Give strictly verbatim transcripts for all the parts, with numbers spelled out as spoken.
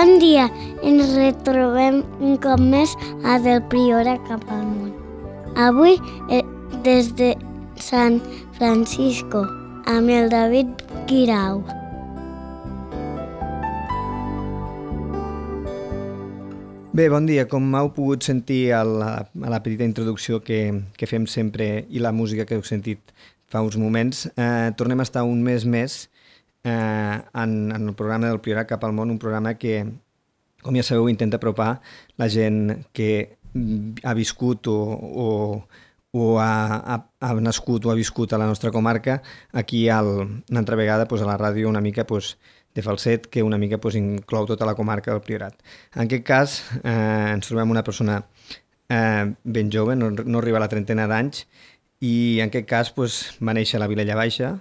Bon dia, ens retrobem un cop més a Del Priorat cap al món. Avui, eh, des de San Francisco, amb el David Guirao. Bé, bon dia. Com heu pogut sentir a la, a la petita introducció que, que fem sempre i la música que heu sentit fa uns moments, eh, tornem a estar un mes més eh, en, en el programa del Priorat cap al món, un programa que, com ja sabeu, intenta apropar la gent que ha viscut o, o, o ha, ha, ha nascut o ha viscut a la nostra comarca aquí al, una altra vegada pues, a la ràdio una mica pues, de falset que una mica pues, inclou tota la comarca del Priorat. En aquest cas eh, ens trobem una persona eh, ben jove, no, no arriba a la trentena d'anys, i en aquest cas pues, va néixer a la Vilella Baixa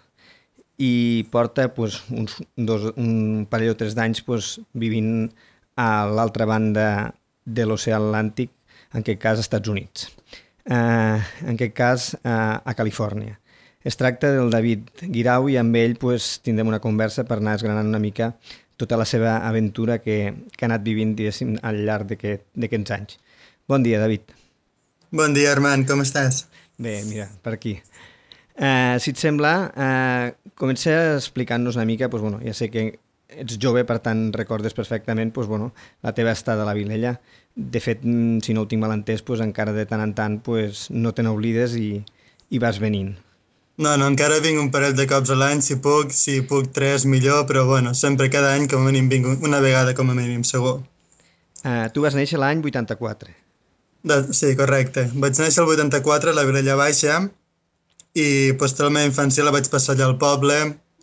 i porta pues, uns, dos, un parell o tres d'anys pues, vivint a l'altra banda de l'oceà Atlàntic, en aquest cas als Estats Units, eh, en aquest cas eh, a Califòrnia. Es tracta del David Guirao i amb ell pues, tindrem una conversa per anar desgranant una mica tota la seva aventura que, que ha anat vivint al llarg d'aquests anys. Bon dia, David. Bon dia, Armand, com estàs? Bé, mira, per aquí. Eh, si et sembla, eh, comença explicant-nos una mica, pues, bueno, ja sé que ets jove, per tant recordes perfectament pues, bueno, la teva estada a la Vilella. De fet, si no ho tinc mal entès, pues, encara de tant en tant pues, no te n'oblides i, i vas venint. No, no, encara vinc un parell de cops a l'any, si puc, si puc tres, millor, però bueno, sempre cada any com a mínim vinc una vegada com a mínim, segur. Eh, tu vas néixer l'any vuitanta-quatre. De, sí, correcte. Vaig néixer el vuitanta-quatre a la Vilella Baixa i pues, tota la meva infància la vaig passar allà al poble,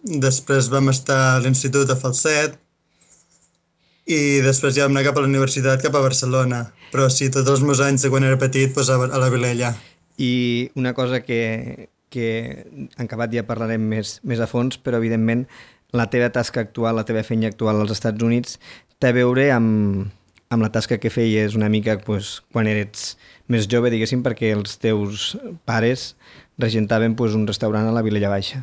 després vam estar a l'institut a Falset i després ja vam anar cap a la universitat, cap a Barcelona. Però sí, tots els meus anys de quan era petit pues, a, a la Vilella. I una cosa que, que en acabat ja parlarem més, més a fons, però evidentment la teva tasca actual, la teva feina actual als Estats Units té a veure amb, amb la tasca que feies una mica pues, quan eres més jove, diguéssim, perquè els teus pares regentaven pues, un restaurant a la Vilella Baixa.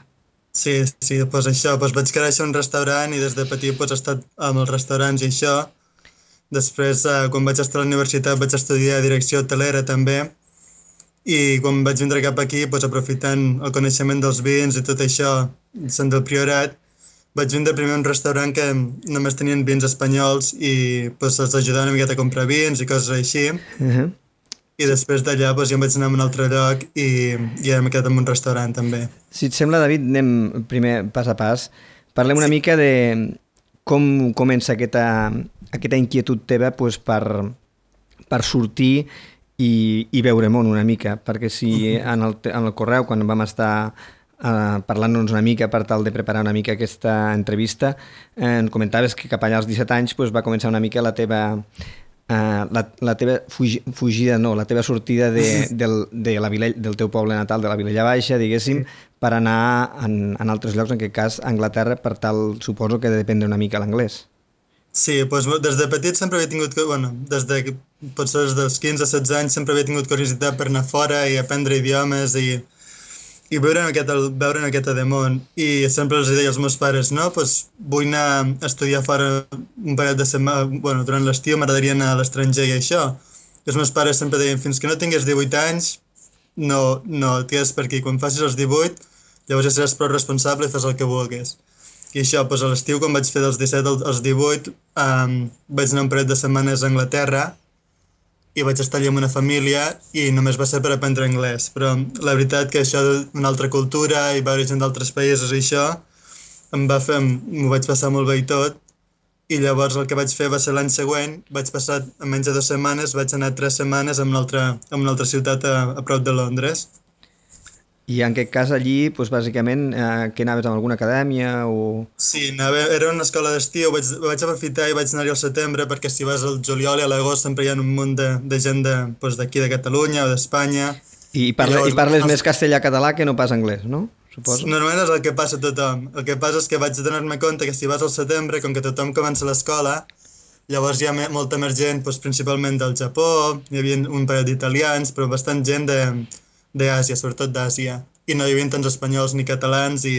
Sí, sí, doncs això, doncs vaig créixer un restaurant i des de petit doncs, he estat amb els restaurants i això. Després, eh, quan vaig estar a la universitat, vaig estudiar direcció hotelera també i quan vaig vindre cap aquí, doncs, aprofitant el coneixement dels vins i tot això, sent del Priorat, vaig vindre primer a un restaurant que només tenien vins espanyols i doncs, els ajudava una miqueta a comprar vins i coses així. Uh-huh. I després d'allà doncs, ja em vaig anar a un altre lloc i ja m'he quedat en un restaurant també. Si et sembla, David, anem primer pas a pas. Parlem una sí. mica de com comença aquesta, aquesta inquietud teva pues, per, per sortir i, i veure món una mica, perquè si uh-huh. en, el, en el correu, quan vam estar uh, parlant-nos una mica per tal de preparar una mica aquesta entrevista, eh, en comentaves que cap allà als disset anys pues, va començar una mica la teva... Uh, la, la teva fugi, fugida, no, la teva sortida de, del, de la Vilella, del teu poble natal, de la Vilella Baixa, diguéssim, per anar en, en altres llocs, en aquest cas a Anglaterra, per tal, suposo que de dependre una mica l'anglès. Sí, doncs des de petit sempre havia tingut, bueno, des de potser des dels quinze a setze anys sempre havia tingut curiositat per anar fora i aprendre idiomes i, i veure aquest, veure aquest de món. I sempre els deia als meus pares, no, doncs vull anar a estudiar fora un parell de setmanes, bueno, durant l'estiu m'agradaria anar a l'estranger i això. I els meus pares sempre deien, fins que no tingués divuit anys, no, no et quedes per aquí. Quan facis els divuit, llavors ja seràs prou responsable i fas el que vulguis. I això, doncs a l'estiu, quan vaig fer dels disset als divuit, um, vaig anar un parell de setmanes a Anglaterra i vaig estar allà amb una família i només va ser per aprendre anglès. Però la veritat que això d'una altra cultura i veure gent d'altres països i això, em va fer, m'ho vaig passar molt bé i tot. I llavors el que vaig fer va ser l'any següent, vaig passar en menys de dues setmanes, vaig anar tres setmanes a una altra, a una altra ciutat a, a prop de Londres. I en aquest cas allí, doncs, bàsicament, eh, que anaves a alguna acadèmia o...? Sí, anava, era una escola d'estiu, vaig, vaig aprofitar i vaig anar-hi al setembre perquè si vas al juliol i a l'agost sempre hi ha un munt de, de gent d'aquí de, de Catalunya o d'Espanya. I, parla, I, llavors, i parles no, més castellà-català que no pas anglès, no? Suposo. Normalment és el que passa a tothom. El que passa és que vaig donar-me compte que si vas al setembre, com que tothom comença l'escola, llavors hi ha molta més gent, doncs, principalment del Japó, hi havia un parell d'italians, però bastant gent de... d'Àsia, sobretot d'Àsia, i no hi havia tants espanyols ni catalans i,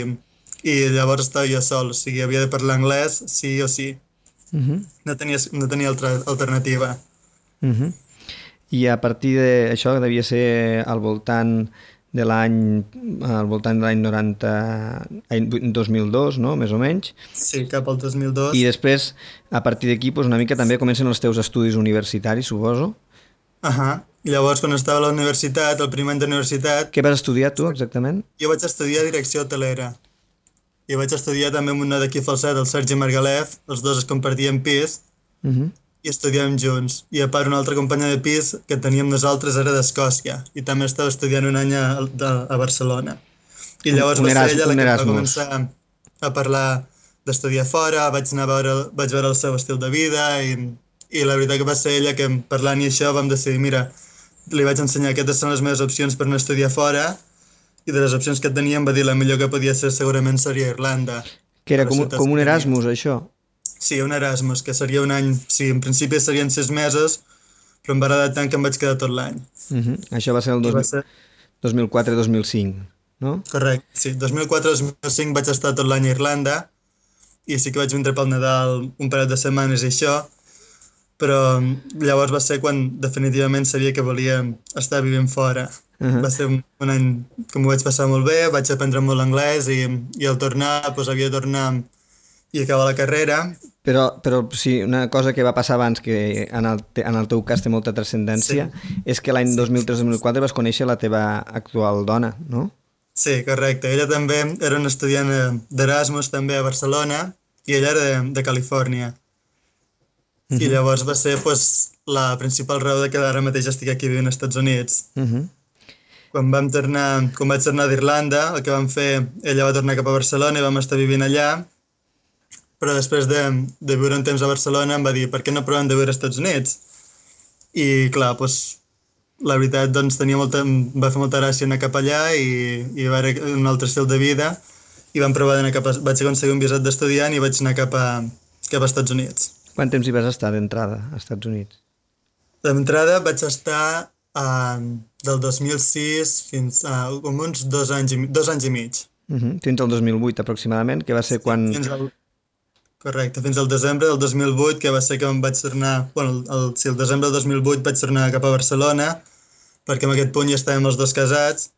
i llavors estava jo sol, o sigui, havia de parlar anglès sí o sí. Uh -huh. No tenia, no tenia altra alternativa. Uh -huh. I a partir d'això devia ser al voltant de l'any al voltant de l'any noranta, any dos mil dos, no? Més o menys. Sí, cap al dos mil dos. I després, a partir d'aquí, doncs una mica també comencen els teus estudis universitaris, suposo. Ahà. I llavors, quan estava a la universitat, el primer any d'universitat... Què vas estudiar tu, exactament? Jo vaig estudiar direcció hotelera. I vaig estudiar també amb un noi d'aquí Falset, el Sergi Margalef. Els dos es compartien pis Uh -huh. i estudiàvem junts. I a part, una altra companya de pis que teníem nosaltres era d'Escòcia i també estava estudiant un any a, a Barcelona. I llavors un va Eras, ser ella la un que va Erasmus. començar a parlar d'estudiar fora, vaig anar a veure, vaig veure el seu estil de vida i, i la veritat que va ser ella que parlant i això vam decidir, mira, li vaig ensenyar aquestes són les meves opcions per no estudiar fora i de les opcions que teníem va dir la millor que podia ser segurament seria Irlanda. Que era com, com un Erasmus, això? Sí, un Erasmus, que seria un any... Sí, en principi serien sis mesos, però em va agradar tant que em vaig quedar tot l'any. Uh -huh. Això va ser el dos mil, ser... dos mil quatre dos mil cinc, no? Correcte, sí. dos mil quatre dos mil cinc vaig estar tot l'any a Irlanda i sí que vaig vindre pel Nadal un parell de setmanes i això, però llavors va ser quan definitivament sabia que volia estar vivint fora. Uh -huh. Va ser un, un any que m'ho vaig passar molt bé, vaig aprendre molt l'anglès i, i al tornar doncs, havia de tornar i acabar la carrera. Però, però sí, una cosa que va passar abans, que en el, te, en el teu cas té molta transcendència, sí. és que l'any sí. dos mil tres dos mil quatre vas conèixer la teva actual dona, no? Sí, correcte. Ella també era una estudiant d'Erasmus també a Barcelona i ella era de, de Califòrnia. Uh -huh. I llavors va ser pues, la principal raó de que ara mateix estic aquí vivint als Estats Units. Uh -huh. Quan vam tornar, quan vaig tornar d'Irlanda, el que vam fer, ella va tornar cap a Barcelona i vam estar vivint allà, però després de, de viure un temps a Barcelona em va dir per què no provem de viure als Estats Units? I clar, doncs, la veritat doncs, tenia molta, em va fer molta gràcia anar cap allà i, i va haver un altre estil de vida i vam provar d'anar cap a, vaig aconseguir un visat d'estudiant i vaig anar cap a, cap a Estats Units. Quant temps hi vas estar d'entrada als Estats Units? D'entrada vaig estar uh, del dos mil sis fins a uh, com uns dos anys i, dos anys i mig. Uh -huh. Fins al dos mil vuit aproximadament, que va ser quan... Fins al... Correcte, fins al desembre del dos mil vuit, que va ser que em vaig tornar... Bueno, el, sí, el desembre del dos mil vuit vaig tornar cap a Barcelona, perquè en aquest punt ja estàvem els dos casats,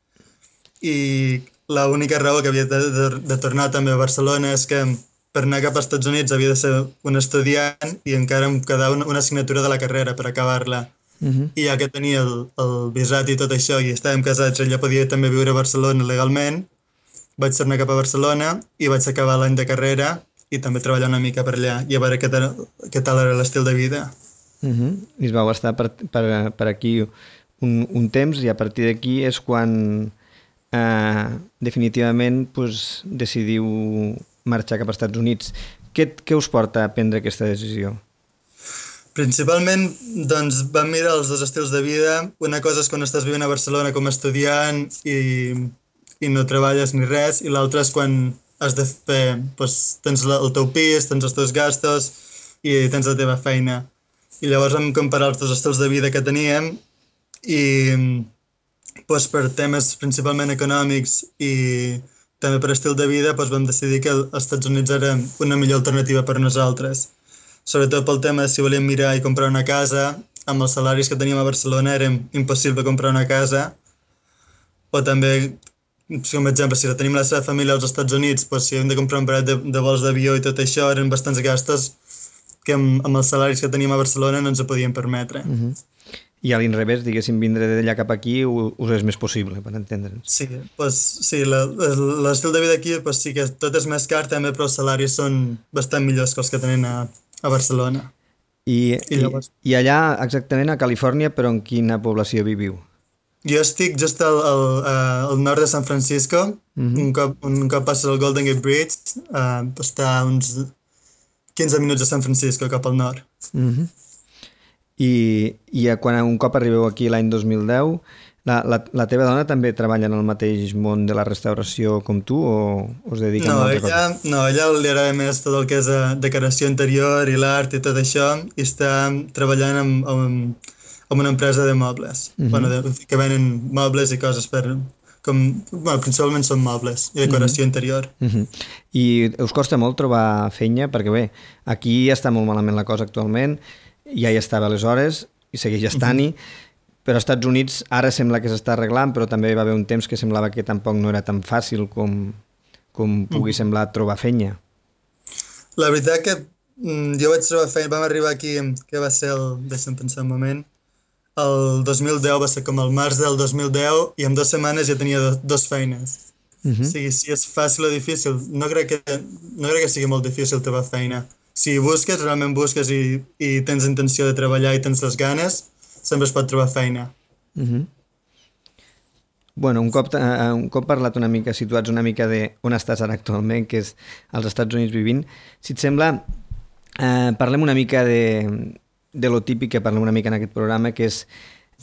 i l'única raó que havia de, de, de tornar també a Barcelona és que per anar cap als Estats Units havia de ser un estudiant i encara em quedava una, una assignatura de la carrera per acabar-la. Uh -huh. I ja que tenia el, el visat i tot això i estàvem casats, ella podia també viure a Barcelona legalment, vaig tornar cap a Barcelona i vaig acabar l'any de carrera i també treballar una mica per allà i a veure què tal, què tal era l'estil de vida. Uh -huh. I es vau estar per, per, per aquí un, un temps i a partir d'aquí és quan eh, definitivament pues, decidiu marxar cap als Estats Units. Què, què us porta a prendre aquesta decisió? Principalment, doncs, vam mirar els dos estils de vida. Una cosa és quan estàs vivint a Barcelona com a estudiant i, i no treballes ni res, i l'altra és quan has de fer, doncs, tens el teu pis, tens els teus gastos i tens la teva feina. I llavors vam comparar els dos estils de vida que teníem i doncs, per temes principalment econòmics i també per estil de vida doncs, vam decidir que els Estats Units era una millor alternativa per nosaltres. Sobretot pel tema de si volíem mirar i comprar una casa, amb els salaris que teníem a Barcelona era impossible comprar una casa, o també, com a exemple, si tenim la seva família als Estats Units, doncs, si hem de comprar un parell de, de vols d'avió i tot això, eren bastants gastos que amb, amb els salaris que teníem a Barcelona no ens ho podíem permetre. Uh -huh. I a l'inrevés, diguéssim, vindre d'allà cap aquí us és més possible, per entendre'ns. Sí, pues, sí l'estil de vida aquí pues, sí que tot és més car també, però els salaris són bastant millors que els que tenen a, a Barcelona. I, I, llavors... i, I allà, exactament a Califòrnia, però en quina població viviu? Jo estic just al, al, al nord de San Francisco, uh -huh. un, cop, un cop passes el Golden Gate Bridge, uh, està a uns quinze minuts de San Francisco cap al nord. Uh -huh. I, i quan un cop arribeu aquí l'any dos mil deu, la, la, la teva dona també treballa en el mateix món de la restauració com tu o us dedica no, a una altra ella, cosa? No, a ella li agrada més tot el que és uh, decoració interior i l'art i tot això, i està treballant amb, amb, amb una empresa de mobles, uh -huh. bueno, de, que venen mobles i coses per, com, bueno, principalment són mobles i decoració mm-hmm. interior. Mm-hmm. I us costa molt trobar feina? Perquè bé, aquí està molt malament la cosa actualment, ja hi estava aleshores i segueix estant-hi, mm-hmm. però als Estats Units ara sembla que s'està arreglant, però també va haver un temps que semblava que tampoc no era tan fàcil com, com pugui mm-hmm. semblar trobar feina. La veritat que mm, jo vaig trobar feina, vam arribar aquí, que va ser el, deixa'm pensar un moment, el dos mil deu, va ser com el març del dos mil deu, i en dues setmanes ja tenia do, dos feines. Uh-huh. O sigui, si és fàcil o difícil, no crec que, no crec que sigui molt difícil trobar feina. Si busques, realment busques i, i tens intenció de treballar i tens les ganes, sempre es pot trobar feina. Uh-huh. Bueno, un cop, uh, un cop parlat una mica, situats una mica de on estàs ara actualment, que és als Estats Units vivint, si et sembla, uh, parlem una mica de... de lo típic que parlem una mica en aquest programa, que és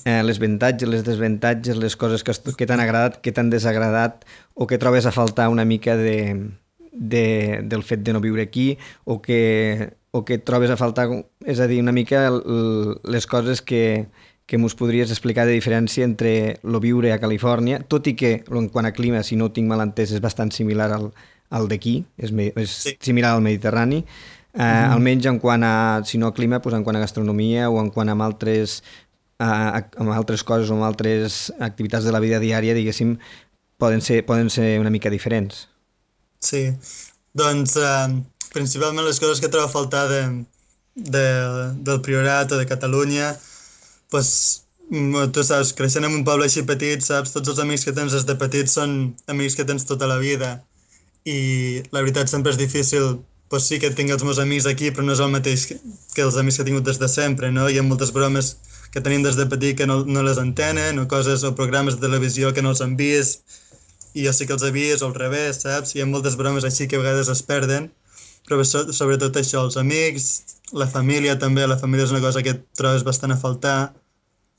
eh, les avantatges, les desavantatges, les coses que, que t'han agradat, que t'han desagradat, o que trobes a faltar una mica de, de, del fet de no viure aquí, o que, o que trobes a faltar, és a dir, una mica l, les coses que, que mos podries explicar de diferència entre lo viure a Califòrnia, tot i que en quant a clima, si no ho tinc mal entès, és bastant similar al, al d'aquí, és, és sí. similar al Mediterrani. Uh, mm. Almenys en quant a, si no a clima, doncs en quant a gastronomia o en quant a altres, uh, amb altres coses o amb altres activitats de la vida diària, diguéssim, poden ser, poden ser una mica diferents. Sí, doncs uh, principalment les coses que trobo a faltar de, de, del Priorat o de Catalunya, doncs tu saps, creixent en un poble així petit, saps, tots els amics que tens des de petit són amics que tens tota la vida i la veritat sempre és difícil. Pues sí que tinc els meus amics aquí, però no és el mateix que, que els amics que he tingut des de sempre, no? Hi ha moltes bromes que tenim des de petit que no, no les entenen, o coses o programes de televisió que no els han vist, i jo sí que els he vist, o al revés, saps? Hi ha moltes bromes així que a vegades es perden, però so, sobretot això, els amics, la família també, la família és una cosa que trobes bastant a faltar,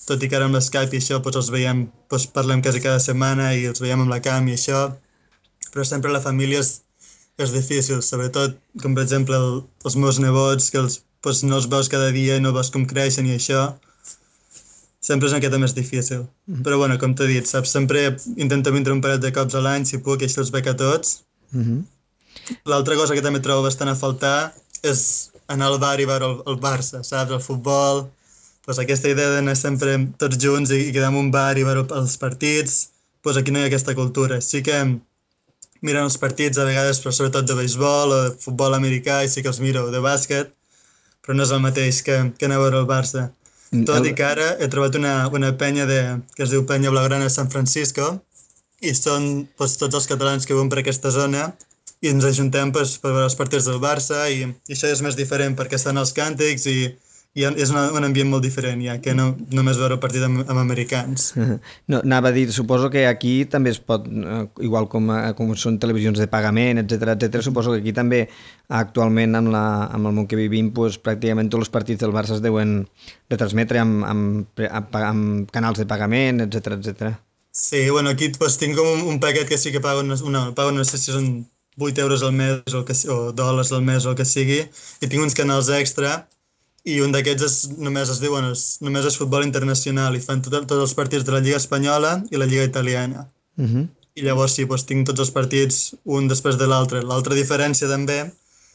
tot i que ara amb l'Skype i això doncs els veiem, doncs parlem quasi cada setmana i els veiem amb la cam i això, però sempre la família és és difícil, sobretot, com per exemple el, els meus nebots, que els, pues, no els veus cada dia i no veus com creixen i això, sempre és una miqueta més difícil. Mm-hmm. Però bueno, com t'he dit, saps, sempre intento vindre un parell de cops a l'any, si puc, i així els veig a tots. Mm-hmm. L'altra cosa que també trobo bastant a faltar és anar al bar i veure el, el Barça, saps, el futbol, pues, aquesta idea d'anar sempre tots junts i, i quedar en un bar i veure els partits, pues aquí no hi ha aquesta cultura. Sí que miren els partits a vegades, però sobretot de béisbol o de futbol americà, i sí que els miro, de bàsquet, però no és el mateix que, que anar a veure el Barça. Tot el... i que ara he trobat una, una penya de, que es diu Penya Blaugrana de San Francisco, i són pues, tots els catalans que viuen per aquesta zona, i ens ajuntem pues, per veure els partits del Barça, i, i això és més diferent perquè estan els càntics, i i és una, un ambient molt diferent, ja, que no només veure el partit amb, amb americans. No, anava a dir, suposo que aquí també es pot, igual com, com són televisions de pagament, etcètera, etcètera, suposo que aquí també actualment amb, la, amb el món que vivim, pues, pràcticament tots els partits del Barça es deuen retransmetre amb, amb, amb, amb canals de pagament, etcètera, etcètera. Sí, bueno, aquí pues, tinc com un, un paquet que sí que pago, una, pago no sé si són vuit euros al mes o, que, o dòlars al mes o el que sigui, i tinc uns canals extra, i un d'aquests és, només es diuen, és, només és futbol internacional i fan tot, tots els partits de la Lliga Espanyola i la Lliga Italiana. Uh-huh. I llavors sí, doncs, tinc tots els partits un després de l'altre. L'altra diferència també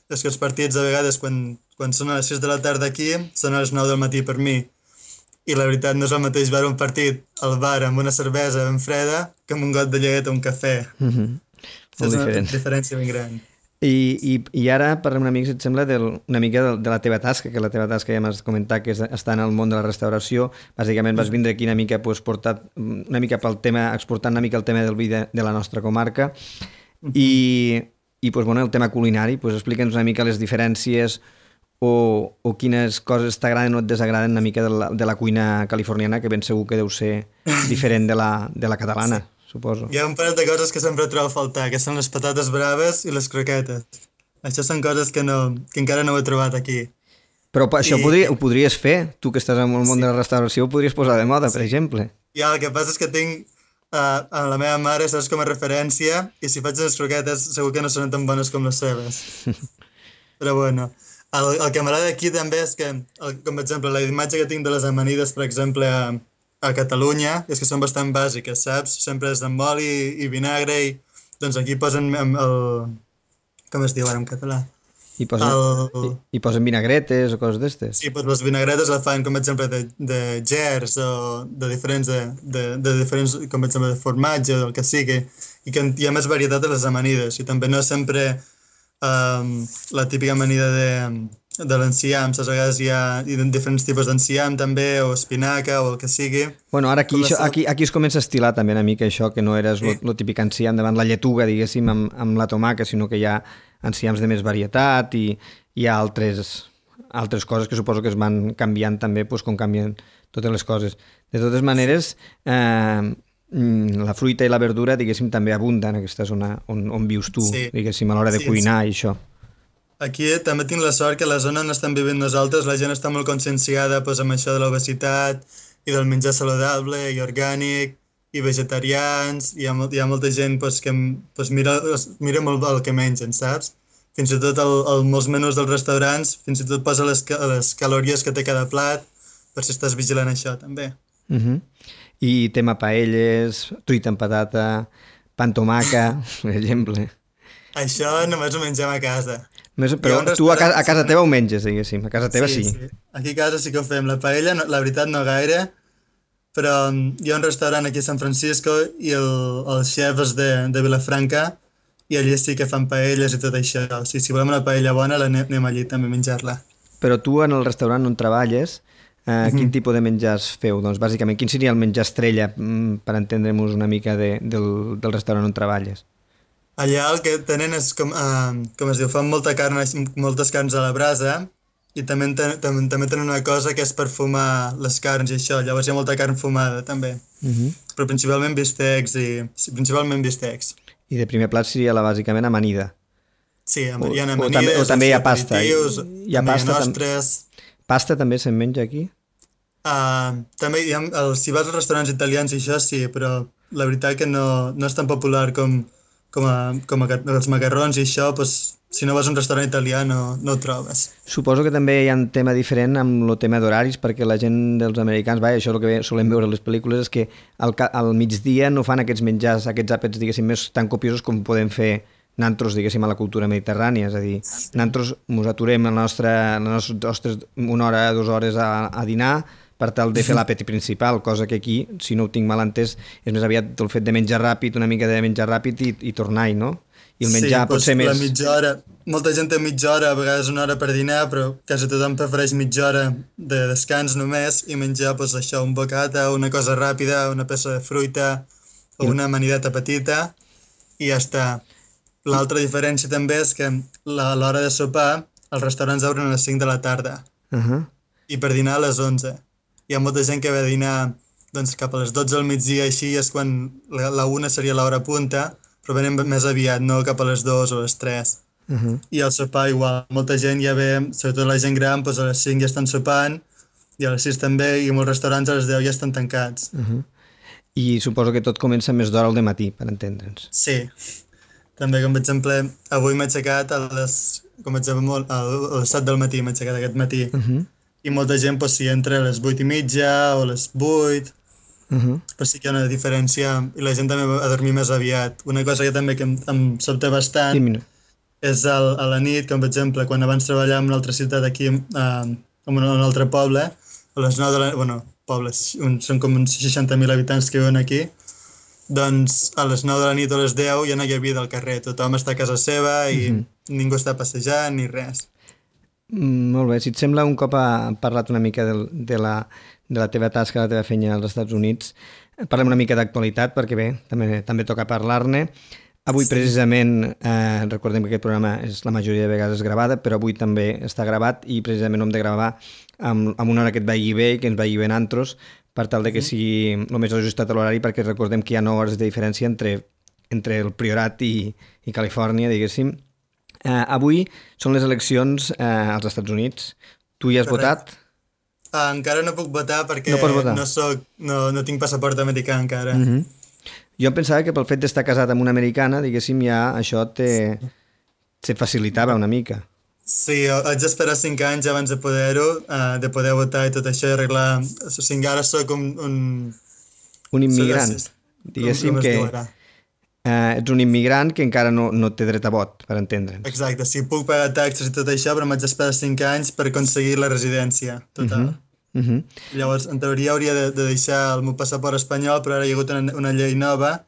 és que els partits a vegades quan, quan són a les sis de la tarda aquí són a les nou del matí per mi. I la veritat no és el mateix veure un partit al bar amb una cervesa ben freda que amb un got de llet o un cafè. Uh-huh. És una diferent. diferència ben gran. I, i, i ara parlem una mica, si et sembla, del, una mica de, de la teva tasca, que la teva tasca ja m'has comentat que és estar en el món de la restauració. Bàsicament vas vindre aquí una mica, pues, portat, una mica pel tema, exportant una mica el tema del vi de, de la nostra comarca. Uh-huh. I, i pues, bueno, el tema culinari, pues, explica'ns una mica les diferències o, o quines coses t'agraden o et desagraden una mica de la, de la cuina californiana, que ben segur que deu ser diferent de la, de la catalana. Sí. Suposo. Hi ha un parell de coses que sempre trobo a faltar, que són les patates braves i les croquetes. Això són coses que, no, que encara no ho he trobat aquí. Però això I... podria, ho podries fer? Tu que estàs en el món sí. de la restauració ho podries posar de moda, sí. per exemple. Ja, el que passa és que tinc uh, a la meva mare, saps, com a referència, i si faig les croquetes segur que no són tan bones com les seves. Però bueno, el, el que m'agrada aquí també és que, el, com per exemple, la imatge que tinc de les amanides, per exemple, a, a Catalunya és que són bastant bàsiques, saps? Sempre és amb oli i vinagre i doncs aquí posen el... el com es diu ara en català? I posen, El... i, i posen vinagretes o coses d'estes? Sí, doncs les vinagretes les fan com per exemple de, de gers o de diferents, de, de, de diferents, com per exemple de formatge o del que sigui, i que hi ha més varietat de les amanides i també no sempre um, la típica amanida de, de l'enciam, saps? A vegades hi ha diferents tipus d'enciam també, o espinaca o el que sigui. Bueno, ara aquí, Com la això, sal- aquí, aquí es comença a estilar també una mica això, que no eres Sí. lo, lo típic enciam davant la lletuga, diguéssim, amb, amb la tomaca, sinó que hi ha enciams de més varietat i hi ha altres, altres coses que suposo que es van canviant també, doncs, com canvien totes les coses. De totes maneres, eh, mm, la fruita i la verdura, diguéssim, també abunden en aquesta zona on, on vius tu, Sí. diguéssim, a l'hora de Sí, cuinar i això. Aquí també tinc la sort que a la zona on estem vivint nosaltres la gent està molt conscienciada doncs, amb això de l'obesitat i del menjar saludable i orgànic i vegetarians. Hi ha, mol- hi ha molta gent doncs, que doncs, mira, mira molt el que mengen, saps? Fins i tot el, el, molts menús dels restaurants, fins i tot posa les, ca- les calories que té cada plat per si estàs vigilant això també. Uh -huh. I tema paelles, truita amb patata, pa amb tomaca, per exemple. Això només ho mengem a casa. Més, Hi ha però un tu a casa, a restaurant- casa teva ho menges, diguéssim. A casa teva sí. sí. Aquí a casa sí que ho fem. La paella, no, la veritat, no gaire, però mm, hi ha un restaurant aquí a San Francisco i el, el xef és de, de Vilafranca i allí sí que fan paelles i tot això. O sigui, si volem una paella bona, la anem, anem allí també a menjar-la. Però tu en el restaurant on treballes, eh, quin tipus de menjars feu? Doncs bàsicament, quin seria el menjar estrella mm, per entendre'ns una mica de, del, del restaurant on treballes? Allà el que tenen és, com, uh, com es diu, fan molta carn, moltes carns a la brasa i també, ten, també, també tenen una cosa que és per fumar les carns i això. Llavors hi ha molta carn fumada també. Uh -huh. Però principalment bistecs i... sí, principalment bistecs. I de primer plat seria la bàsicament amanida. Sí, O- hi ha o amanides, també- o també hi ha pasta. aperitius, Hi ha també pasta, hi ha tam- nostres. Pasta també se'n menja aquí? Uh, també hi ha, el, si vas als restaurants italians i això sí, però la veritat que no, no és tan popular com, com, a, com a, els macarrons i això, doncs, si no vas a un restaurant italià no, no ho trobes. Suposo que també hi ha un tema diferent amb el tema d'horaris, perquè la gent dels americans, vaja, això és el que solem veure a les pel·lícules, és que al, ca- al migdia no fan aquests menjars, aquests àpats, diguéssim, més tan copiosos com podem fer nantros, diguéssim, a la cultura mediterrània. És a dir, nantros mos aturem la nostra, les nostres una hora, dues hores a, a dinar per tal de fer l'àpat principal, cosa que aquí, si no ho tinc mal entès, és més aviat el fet de menjar ràpid, una mica de menjar ràpid i, i tornar-hi, no? I el menjar sí, pot ser doncs, la més... mitja hora, molta gent té mitja hora, a vegades una hora per dinar, però quasi tothom prefereix mitja hora de descans només i menjar doncs, això, un bocata, una cosa ràpida, una peça de fruita o una amanideta petita i ja està. L'altra diferència també és que la- a l'hora de sopar els restaurants obren a les cinc de la tarda Uh -huh. i per dinar a les onze. Hi ha molta gent que ve a dinar doncs, cap a les dotze del migdia, així és quan la, la una seria l'hora punta, però venen més aviat, no cap a les dues o les tres. Uh -huh. I al sopar igual, molta gent ja ve, sobretot la gent gran, doncs a les cinc ja estan sopant, i a les sis també, i molts restaurants a les deu ja estan tancats. Uh -huh. I suposo que tot comença més d'hora al dematí, per entendre'ns. Sí. També, com per exemple, avui m'he aixecat a les, com per exemple, molt- a les set del matí, m'he aixecat aquest matí. Uh -huh. I molta gent, doncs, si entra a les vuit i mitja o a les vuit, Uh -huh. però sí que hi ha una diferència, i la gent també va a dormir més aviat. Una cosa que també que em, em sobta bastant Sí, mira. és el, a la nit, com per exemple, quan abans treballàvem en una altra ciutat aquí, eh, en un, un altre poble, a les nou de la... bueno, pobles, un, són com uns seixanta mil habitants que viuen aquí, doncs a les nou de la nit o a les deu ja no hi ha vida al carrer, tothom està a casa seva i Mhm. ningú està passejant ni res. Mm, molt bé, si et sembla, un cop ha parlat una mica de, de, la, de la teva tasca, la teva feina als Estats Units, parlem una mica d'actualitat, perquè bé, també, també toca parlar-ne. Avui precisament, eh, recordem que aquest programa és la majoria de vegades gravada, però avui també està gravat i precisament ho hem de gravar amb, amb una hora que et vagi bé i que ens vagi bé en antros, per tal de que sigui el més ajustat a l'horari, perquè recordem que hi ha nou hores de diferència entre, entre el Priorat i, i Califòrnia, diguéssim. Eh, avui són les eleccions eh, als Estats Units. Tu hi has Correcte. votat? Ah, encara no puc votar perquè No pots votar. no, soc, no, no tinc passaport americà encara. Mm -hmm. Jo em pensava que pel fet d'estar casat amb una americana, diguéssim, ja això te, te facilitava una mica. Sí, haig d'esperar cinc anys abans de poder-ho, uh, de poder votar i tot això i arreglar... O sigui, ara soc un... Un, un immigrant. Soc, Diguéssim com, com que ara. uh, ets un immigrant que encara no, no té dret a vot, per entendre'ns. Exacte, sí, puc pagar taxes i tot això, però m'haig d'esperar cinc anys per aconseguir la residència total. Uh -huh. Uh -huh. Llavors, en teoria hauria de, de deixar el meu passaport espanyol, però ara hi ha hagut una, una llei nova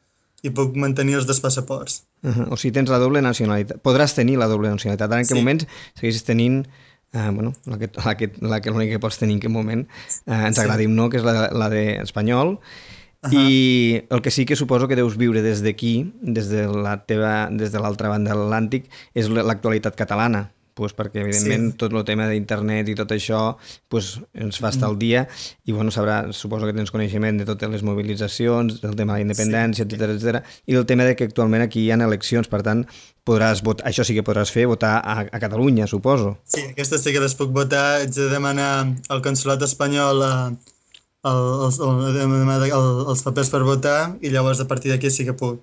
i puc mantenir els dos passaports. Uh -huh. O sigui, tens la doble nacionalitat. Podràs tenir la doble nacionalitat. Ara en sí. Aquest moment segueixes tenint uh, bueno, la que, la que, la que l'única que pots tenir en aquest moment, uh, ens sí. agradi o no, que és la, la d'espanyol. Uh -huh. I el que sí que suposo que deus viure des d'aquí, des de la teva, des de l'altra banda de l'Atlàntic, és l'actualitat catalana. Pues perquè, evidentment, sí. tot el tema d'internet i tot això pues, ens fa estar al dia i, bueno, sabrà, suposo que tens coneixement de totes les mobilitzacions, del tema de la independència, sí. etcètera, etcètera, i del tema de que actualment aquí hi ha eleccions, per tant, podràs votar, això sí que podràs fer, votar a, a Catalunya, suposo. Sí, aquestes sí que les puc votar. Haig de demanar al consolat espanyol a, a, els, a, els papers per votar i llavors a partir d'aquí sí que puc.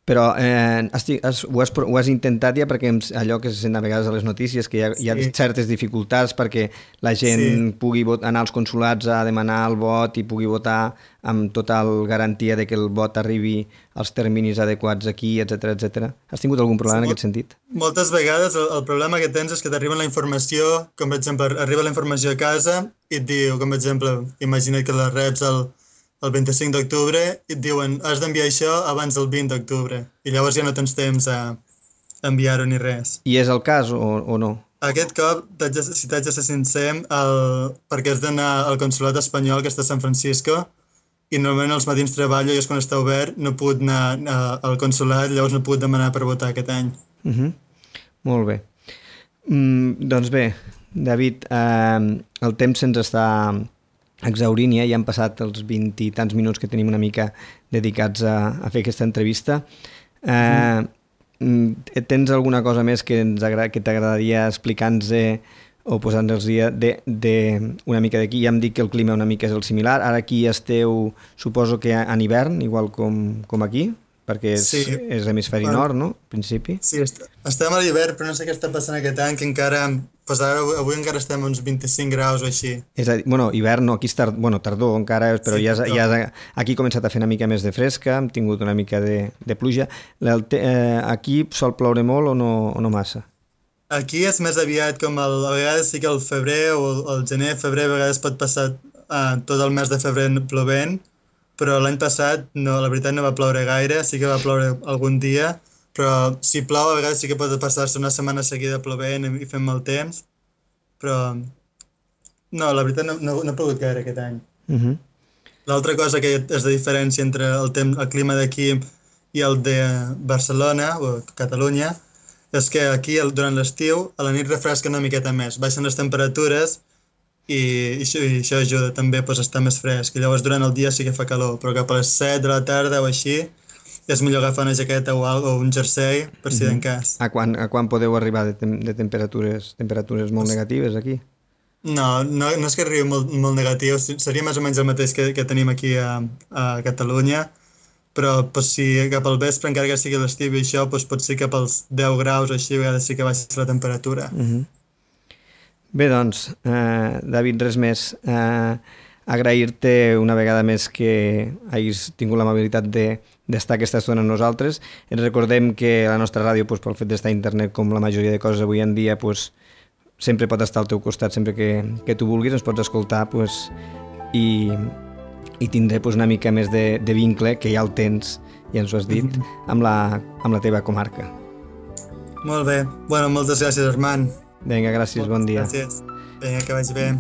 Però eh, estic, has, ho, has, ho has intentat ja perquè allò que se sent a vegades a les notícies, que hi ha, sí. hi ha certes dificultats perquè la gent sí. pugui vot, anar als consulats a demanar el vot i pugui votar amb total garantia de que el vot arribi als terminis adequats aquí, etcètera, etcètera. Has tingut algun problema sí, en aquest sentit? Moltes vegades el, el problema que tens és que t'arriba la informació, com per exemple, arriba la informació a casa i et diu, com per exemple, imagina't que la reps el el vint-i-cinc d'octubre i et diuen has d'enviar això abans del vint d'octubre i llavors ja no tens temps a enviar-ho ni res. I és el cas o, o no? Aquest cop, de, si t'haig de ser sincer, el, perquè has d'anar al consolat espanyol que està a San Francisco i normalment als matins treballo i és quan està obert, no he pogut anar a, al consolat, llavors no he pogut demanar per votar aquest any. Uh -huh. Molt bé. Mm, doncs bé, David, eh, el temps se'ns està exaurint ja, ja han passat els vint i tants minuts que tenim una mica dedicats a, a fer aquesta entrevista. Eh, mm. Tens alguna cosa més que, ens agrada, que t'agradaria explicar-nos o posar-nos dia de, de una mica d'aquí? Ja em dic que el clima una mica és el similar. Ara aquí esteu, suposo que en hivern, igual com, com aquí, perquè és, sí. és hemisferi bueno, nord, no? En principi. Sí, est estem a l'hivern, però no sé què està passant aquest any, que encara... Pues ara, avui encara estem a uns vint-i-cinc graus o així. És a dir, bueno, hivern no, aquí és tard, bueno, tardor encara, però sí, ja, ja aquí ha començat a fer una mica més de fresca, hem tingut una mica de, de pluja. Eh, aquí sol ploure molt o no, o no massa? Aquí és més aviat com el, a vegades sí que el febrer o el gener, febrer, a vegades pot passar uh, tot el mes de febrer plovent, però l'any passat no, la veritat no va ploure gaire, sí que va ploure algun dia, però si plou a vegades sí que pot passar-se una setmana seguida plovent i fent mal temps, però no, la veritat no, no, no ha plogut gaire aquest any. Uh -huh. L'altra cosa que és de diferència entre el, temps, el clima d'aquí i el de Barcelona o Catalunya és que aquí durant l'estiu a la nit refresca una miqueta més, baixen les temperatures i, i, això, i això ajuda també pues, a estar més fresc, i llavors durant el dia sí que fa calor, però cap a les set de la tarda o així és millor agafar una jaqueta o, algo, o un jersei per si d'en cas. A quan, a quan podeu arribar de, tem de temperatures temperatures molt negatives aquí? No, no, no és que arribi molt, molt negatiu, seria més o menys el mateix que, que tenim aquí a, a Catalunya, però pues, si cap al vespre, encara que sigui l'estiu i això, pues, pot ser cap als deu graus o així, a vegades sí que baixa la temperatura. Uh -huh. Bé, doncs, eh, David, res més. Eh, agrair-te una vegada més que hagis tingut l'amabilitat de d'estar aquesta estona amb nosaltres. Ens recordem que la nostra ràdio, pues, pel fet d'estar a internet, com la majoria de coses avui en dia, pues, sempre pot estar al teu costat, sempre que, que tu vulguis, ens pots escoltar, pues, i, i tindré pues, una mica més de, de vincle, que ja el tens, ja ens ho has dit, amb la, amb la teva comarca. Molt bé. Bueno, moltes gràcies, Armand. Vinga, gràcies, moltes bon dia. Gràcies. Vinga, que vagi bé.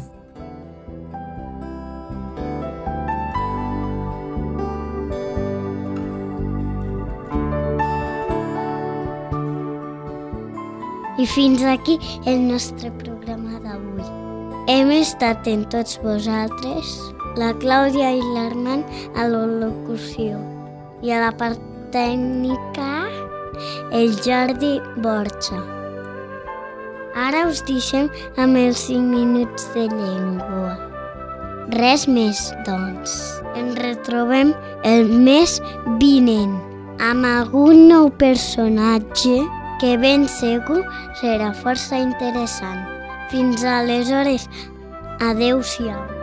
I fins aquí el nostre programa d'avui. Hem estat en tots vosaltres, la Clàudia i l'Armand a la locució i a la part tècnica el Jordi Borja. Ara us deixem amb els cinc minuts de llengua. Res més, doncs. Ens retrobem el mes vinent amb algun nou personatge que ben segur serà força interessant. Fins aleshores, adeu-siau.